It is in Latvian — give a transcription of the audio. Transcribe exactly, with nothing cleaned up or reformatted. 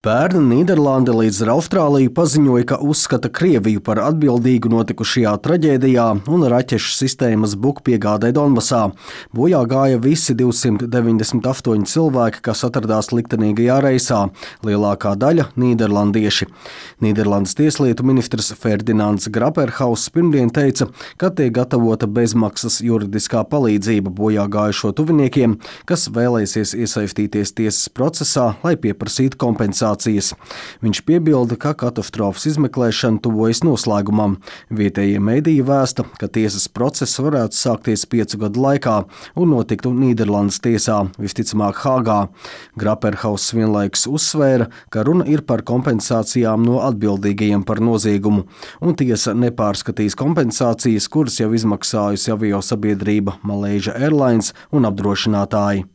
Pērn Nīderlande līdz ar Austrāliju paziņoja, ka uzskata Krieviju par atbildīgu notikušajā traģēdijā un raķešu sistēmas bukpiegādē Donbasā. Bojā gāja visi divsimt deviņdesmit astoņi cilvēki, kas atradās liktenīgajā reisā, lielākā daļa nīderlandieši. Nīderlandes tieslietu ministrs Ferdinands Graperhauss pirmdien teica, ka tiek gatavota bezmaksas juridiskā palīdzība bojā gājušo tuviniekiem, kas vēlēsies iesaistīties tiesas procesā, lai pieprasītu kompensāciju. Viņš piebilda, ka katastrofas izmeklēšana tuvojas noslēgumam. Vietējie mediji vēsta, ka tiesas process varētu sākties piecu gadu laikā un notiktu Nīderlandes tiesā, visticamāk Hāgā. Graperhauss vienlaikus uzsvēra, ka runa ir par kompensācijām no atbildīgajiem par noziegumu, un tiesa nepārskatīs kompensācijas, kuras jau izmaksājusi aviosabiedrība Malaysia Airlines un apdrošinātāji.